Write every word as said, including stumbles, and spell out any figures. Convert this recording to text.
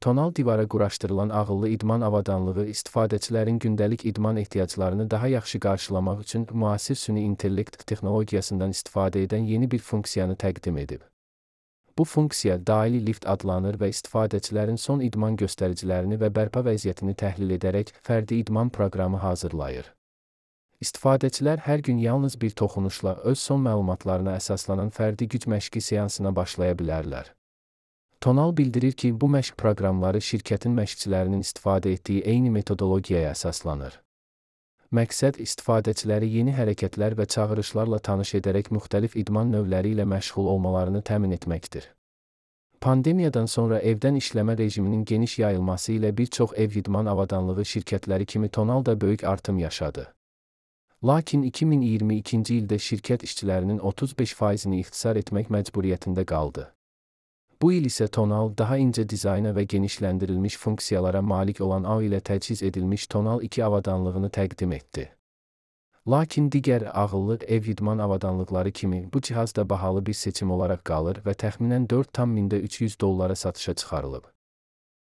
Tonal divara quraşdırılan ağıllı idman avadanlığı istifadəçilərin gündəlik idman ehtiyaclarını daha yaxşı qarşılamaq üçün müasir süni intellekt texnologiyasından istifadə edən yeni bir funksiyanı təqdim edib. Bu funksiya daili lift adlanır və istifadəçilərin son idman göstəricilərini və bərpa vəziyyətini təhlil edərək fərdi idman proqramı hazırlayır. İstifadəçilər hər gün yalnız bir toxunuşla öz son məlumatlarına əsaslanan fərdi güc məşqi seansına başlaya bilərlər. Tonal bildirir ki, bu məşq proqramları şirkətin məşqçilərinin istifadə etdiyi eyni metodologiyaya əsaslanır. Məqsəd istifadəçiləri yeni hərəkətlər və çağırışlarla tanış edərək müxtəlif idman növləri ilə məşğul olmalarını təmin etməkdir. Pandemiyadan sonra evdən işləmə rejiminin geniş yayılması ilə bir çox ev idman avadanlığı şirkətləri kimi Tonal da böyük artım yaşadı. Lakin iki min iyirmi ikinci ildə şirkət işçilərinin otuz beş faizini ixtisar etmək məcburiyyətində qaldı. Bu il isə Tonal daha incə dizayna və genişləndirilmiş funksiyalara malik olan A ilə təchiz edilmiş Tonal iki avadanlığını təqdim etdi. Lakin digər ağıllı ev idman avadanlıqları kimi bu cihaz da bahalı bir seçim olaraq qalır və təxminən dörd min üç yüz dollara satışa çıxarılıb.